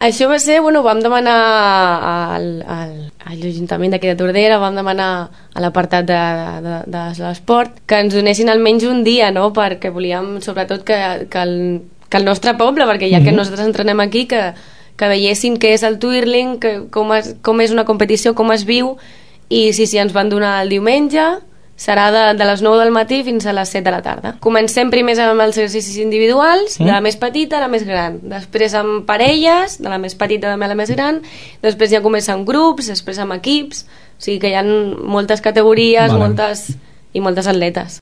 Això va ser, vam demanar a l'Ajuntament d'aquí de Tordera, vam demanar a l'apartat de l'esport que ens donessin almenys un dia, no? Perquè volíem sobretot que el nostre poble, perquè ja que nosaltres entrenem aquí, que veiessin què és el twirling, com és una competició, com es viu, i si ens van donar el diumenge serà de les 9 del matí fins a les 7 de la tarda. Comencem primer amb els exercicis individuals, de la més petita a la més gran, després amb parelles, de la més petita a la més gran, després ja comença amb grups, després amb equips, o sigui que hi ha moltes categories, moltes atletes.